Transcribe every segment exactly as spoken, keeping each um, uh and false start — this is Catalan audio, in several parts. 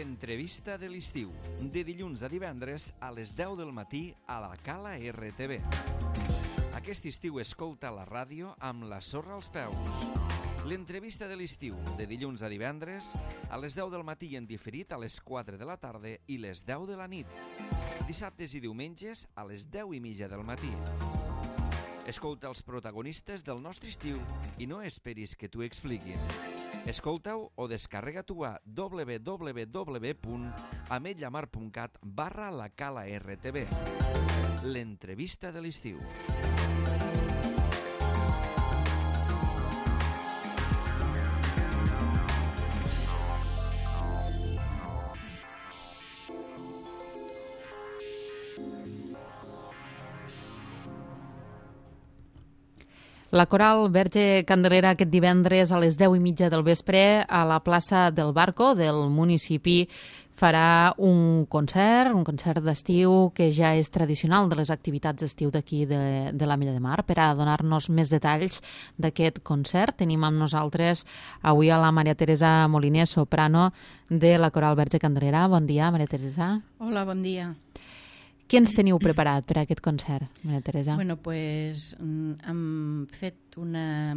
L'entrevista de l'estiu, de dilluns a divendres a les deu del matí a la Cala R T V. Aquest estiu escolta la ràdio amb la sorra als peus. L'entrevista de l'estiu, de dilluns a divendres a les deu del matí en diferit a les quatre de la tarda i les deu de la nit. Dissabtes i diumenges a les deu i mitja del matí. Escolta els protagonistes del nostre estiu i no esperis que t'ho expliquin. Escolta-ho o descarrega-t'ho a w w w punt ametlllamar punt cat barra la Cala R T V. L'entrevista de l'estiu. La Coral Verge Candelera aquest divendres a les deu i mitja del vespre a la plaça del Barco del municipi farà un concert, un concert d'estiu que ja és tradicional de les activitats d'estiu d'aquí de, de l'Ametlla de Mar. Per a donar-nos més detalls d'aquest concert tenim amb nosaltres avui a la Maria Teresa Moliner, soprano de la Coral Verge Candelera. Bon dia, Maria Teresa. Hola, bon dia. Què ens teniu preparat per a aquest concert, Maria Teresa? Bueno, pues hem fet una,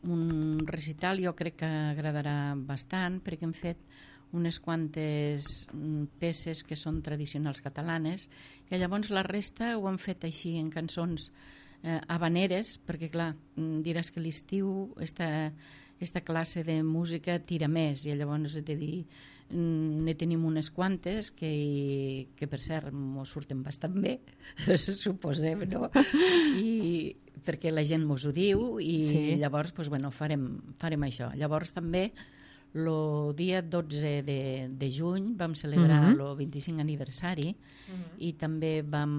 un recital, jo crec que agradarà bastant, perquè hem fet unes quantes peces que són tradicionals catalanes i llavors la resta ho hem fet així en cançons eh, habaneres, perquè clar, diràs que l'estiu esta, esta classe de música tira més i llavors he de dir ne tenim unes quantes que, que per cert mos surten bastant bé, suposem, no? I perquè la gent mos ho diu i sí. Llavors pues, bueno, farem, farem això. Llavors també el dia dotze de, de juny vam celebrar el uh-huh. vint-i-cinc aniversari uh-huh. i també vam,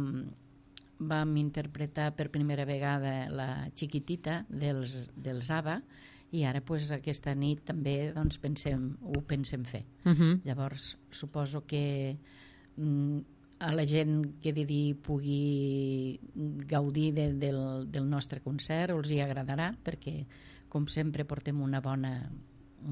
vam interpretar per primera vegada la Chiquitita dels, dels ABBA i ara pues, aquesta nit també doncs, pensem, ho pensem fer. Uh-huh. Llavors suposo que mm, a la gent que de dir pugui gaudir de, del, del nostre concert els hi agradarà perquè com sempre portem una bona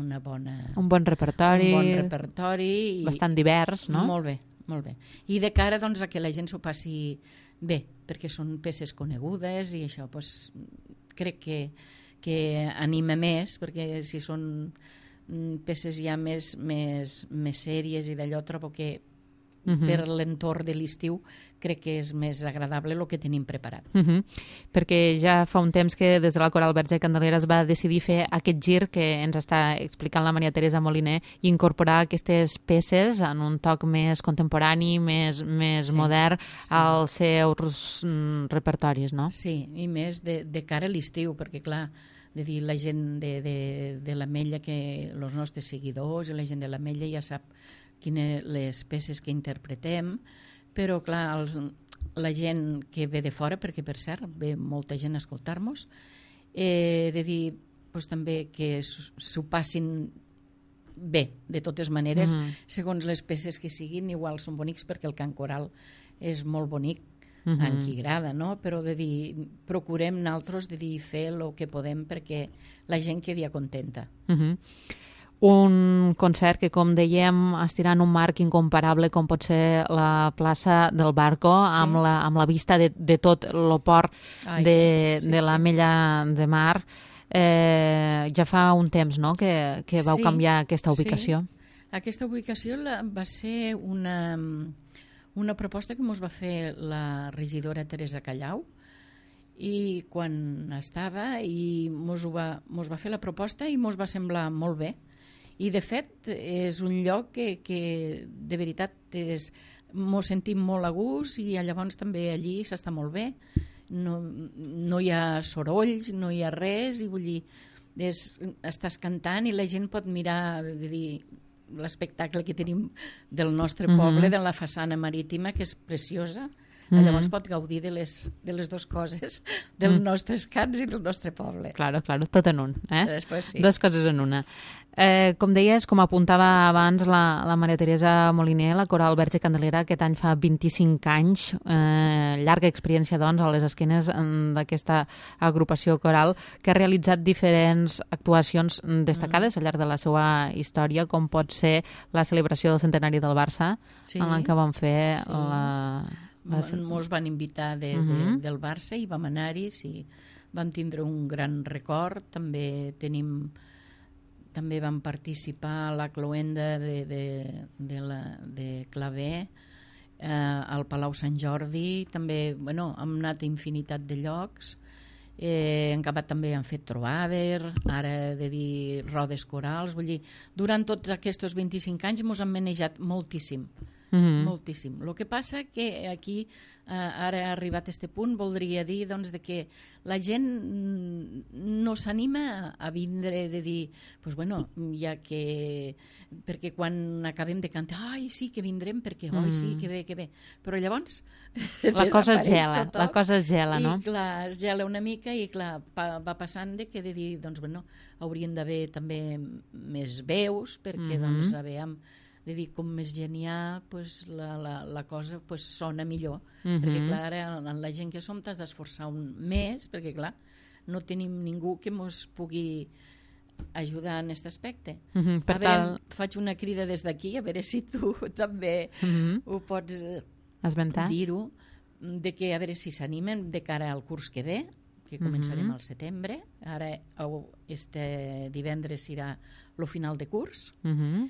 una bona... Un bon repertori. Un bon repertori. I bastant divers, no? Molt bé, molt bé. I de cara doncs, a que la gent s'ho passi bé, perquè són peces conegudes i això doncs, crec que, que anima més, perquè si són peces ja més, més, més sèries i d'allò trobo que Uh-huh. per l'entorn de l'estiu crec que és més agradable el que tenim preparat. Uh-huh. Perquè ja fa un temps que des de la Coral Verge Candelera es va decidir fer aquest gir que ens està explicant la Maria Teresa Moliner i incorporar aquestes peces en un toc més contemporani, més, més sí, modern sí. als seus mm, repertoris, no? Sí, i més de, de cara a l'estiu, perquè clar, de dir la gent de, de, de l'Ametlla, que els nostres seguidors i la gent de l'Ametlla ja sap quines les peces que interpretem, però clar, els, la gent que ve de fora, perquè per cert ve molta gent a escoltar-nos, eh, de dir pues, també que s'ho passin bé, de totes maneres, mm-hmm. segons les peces que siguin, igual són bonics perquè el cant coral és molt bonic, mm-hmm. en qui agrada, no? Però de dir, procurem nosaltres de dir fer el que podem perquè la gent quedi contenta. Mm-hmm. Un concert que, com dèiem, estirà en un marc incomparable com pot ser la plaça del Barco, sí. amb, la, amb la vista de, de tot el port Ai, de, sí, de l'Ametlla sí. de Mar. Eh, ja fa un temps, no?, que, que vau sí, canviar aquesta ubicació. Sí. Aquesta ubicació la, va ser una, una proposta que ens va fer la regidora Teresa Callau, i quan estava i mos, va, mos va fer la proposta i mos va semblar molt bé. I de fet és un lloc que, que de veritat és, mos sentim molt a gust i llavors també allí s'està molt bé, no, no hi ha sorolls, no hi ha res i vull dir, és, estàs cantant i la gent pot mirar de dir, l'espectacle que tenim del nostre poble, mm-hmm. de la façana marítima, que és preciosa, Mm -hmm. Llavors pot gaudir de les, de les dues coses, dels mm. nostres cants i del nostre poble. Claro, claro, tot en un. Eh? Després sí. Dues coses en una. Eh, com deies, com apuntava abans la, la Maria Teresa Moliner, la Coral Verge Candelera aquest any fa vint-i-cinc anys, eh, llarga experiència doncs a les esquenes d'aquesta agrupació coral, que ha realitzat diferents actuacions destacades mm. al llarg de la seva història, com pot ser la celebració del centenari del Barça, sí. en la que vam fer sí. la... Ens van invitar de, uh-huh. de, del Barça i vam anar-hi, sí. Vam tindre un gran record, també tenim... També vam participar a la cloenda de, de, de, la, de Clavé, eh, al Palau Sant Jordi, també, bueno, hem anat a infinitat de llocs, eh, en acabat també han fet trobades, ara de dir rodes corals, vull dir, durant tots aquests vint-i-cinc anys ens han manejat moltíssim, mm-hmm. moltíssim. El que passa que aquí, eh, ara ha arribat a aquest punt, voldria dir doncs, de que la gent no s'anima a vindre de dir, pues bueno, ja que... perquè quan acabem de cantar, ai, sí, que vindrem, perquè, mm. oi, sí, que bé, que bé. Però llavors... La cosa es gela, tothom, la cosa es gela, no? I clar, es gela una mica i clar, pa, va passant de que de dir, doncs, bueno, haurien d'haver també més veus, perquè, mm-hmm. doncs, aviam, de dir, com més gent hi ha, pues, la, la, la cosa pues, sona millor. Mm-hmm. Perquè, clar, ara, en la gent que som t'has d'esforçar un més, perquè, clar, no tenim ningú que mos pugui ajudar en aquest aspecte. Mm-hmm, per a veure, tal... faig una crida des d'aquí, a veure si tu també mm-hmm. ho pots esmentar, dir-ho, de que a veure si s'animen de cara al curs que ve, que començarem mm-hmm. al setembre. Ara, este divendres serà el final de curs, mm-hmm.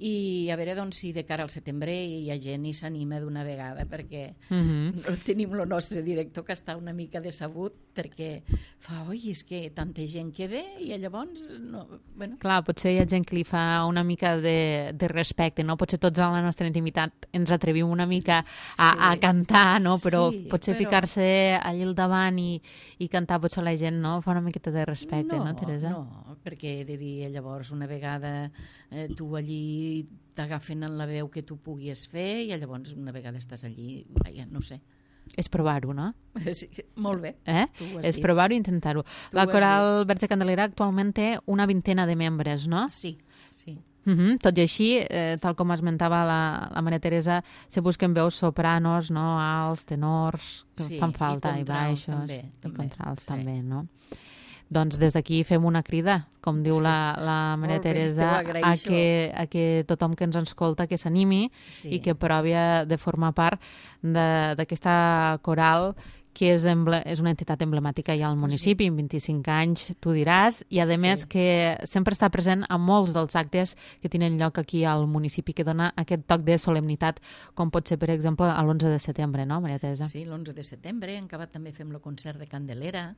i a veure doncs, si de cara al setembre hi ha gent i s'anima d'una vegada, perquè mm-hmm. no tenim el nostre director que està una mica decebut perquè fa, oi, és que tanta gent que ve i llavors no, bueno. Clar, potser hi ha gent que li fa una mica de, de respecte, no? Potser tots en la nostra intimitat ens atrevim una mica a, sí. a cantar, no? Però sí, potser però... ficar-se allà al davant i, i cantar potser la gent, no? Fa una miqueta de respecte, no, no Teresa? No, perquè he de dir, llavors una vegada eh, tu allí t'agafen en la veu que tu puguis fer i llavors una vegada estàs allí, vaja, no sé. És provar-ho, no? Sí, molt bé. Eh? És provar-ho i intentar-ho. La Coral Verge Candelera actualment té una vintena de membres, no? Sí, sí. Uh-huh. Tot i així, eh, tal com esmentava la, la Maria Teresa, se busquen veus sopranos, no? Alts, tenors, que sí, fan falta, i, i baixos, també, i també, contrals sí. també, no? Doncs des d'aquí fem una crida, com diu sí. la, la Maria bé, Teresa, a que, a que tothom que ens escolta que s'animi sí. i que provi de formar part d'aquesta coral que és, emble, és una entitat emblemàtica ja al municipi, en vint-i-cinc anys, tu diràs, i a més sí. que sempre està present a molts dels actes que tenen lloc aquí al municipi, que dona aquest toc de solemnitat, com pot ser, per exemple, a l'onze de setembre, no, Maria Teresa? Sí, l'onze de setembre, en acabat també fem el concert de Candelera,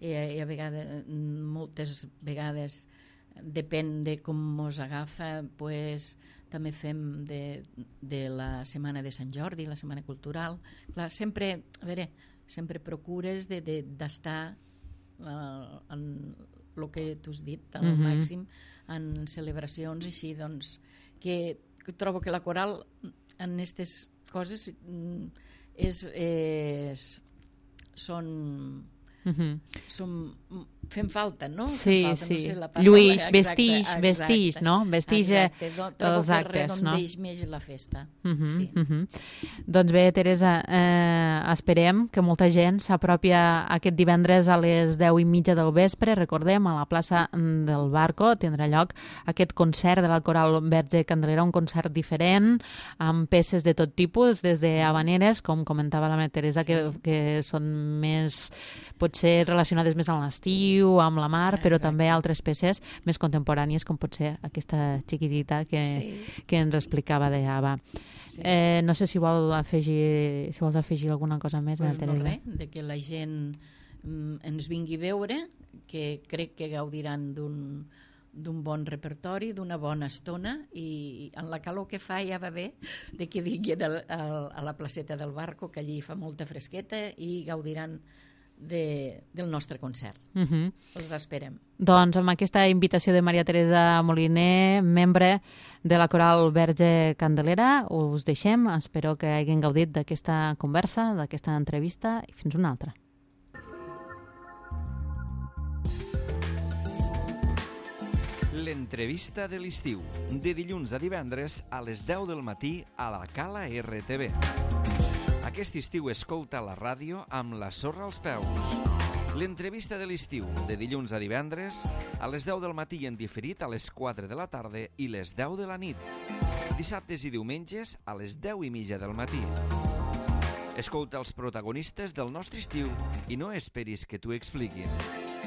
i, i a vegades, moltes vegades, depèn de com mos agafa, pues, també fem de, de la Setmana de Sant Jordi, la Setmana Cultural. Clar, sempre, a veure, sempre procures de, de, d'estar uh, en el que tu has dit, al mm-hmm. màxim, en celebracions així, doncs, que, que trobo que la coral en aquestes coses és, és, són... Mm-hmm. Som, fem falta, no? Sí, falta, sí. No sé, la lluix, exacte, vestix, exacte, vestix, no? Vestix dels actes, no? Redondeix més la festa. Mm-hmm, sí. mm-hmm. Doncs bé, Teresa, eh, esperem que molta gent s'apropi aquest divendres a les deu i mitja del vespre, recordem, a la plaça del Barco tindrà lloc aquest concert de la Coral Verge Candelera, un concert diferent, amb peces de tot tipus, des de habaneres, com comentava la meva Teresa, sí. que, que són més, potser relacionades més amb l'estiu, amb la mar, però Exacte. També altres peces més contemporànies, com pot ser aquesta xiquitita que, sí. que ens explicava de Ava. Sí. Eh, no sé si, vol afegir, si vols afegir alguna cosa més, pues Teresa. No res, de que la gent mm, ens vingui a veure, que crec que gaudiran d'un d'un bon repertori, d'una bona estona, i en la calor que fa ja va bé de que vinguin a, a, a la placeta del Barco, que allí fa molta fresqueta, i gaudiran de, del nostre concert. Uh -huh. Els esperem. Doncs amb aquesta invitació de Maria Teresa Moliner, membre de la Coral Verge Candelera, us deixem. Espero que hagin gaudit d'aquesta conversa, d'aquesta entrevista, i fins una altra. L'entrevista de l'estiu, de dilluns a divendres a les deu del matí a la Cala R T V. Aquest estiu escolta la ràdio amb la sorra als peus. L'entrevista de l'estiu, de dilluns a divendres, a les deu del matí i en diferit a les quatre de la tarda i les deu de la nit. Dissabtes i diumenges a les deu i mitja del matí. Escolta els protagonistes del nostre estiu i no esperis que t'ho expliquin.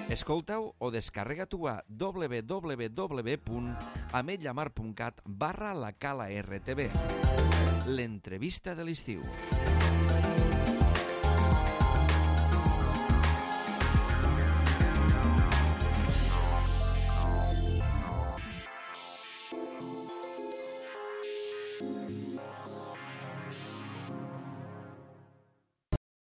Escolta-ho o descarrega-t'ho a w w w punt ametlllamar punt cat barra la cala R T V. L'entrevista de l'estiu.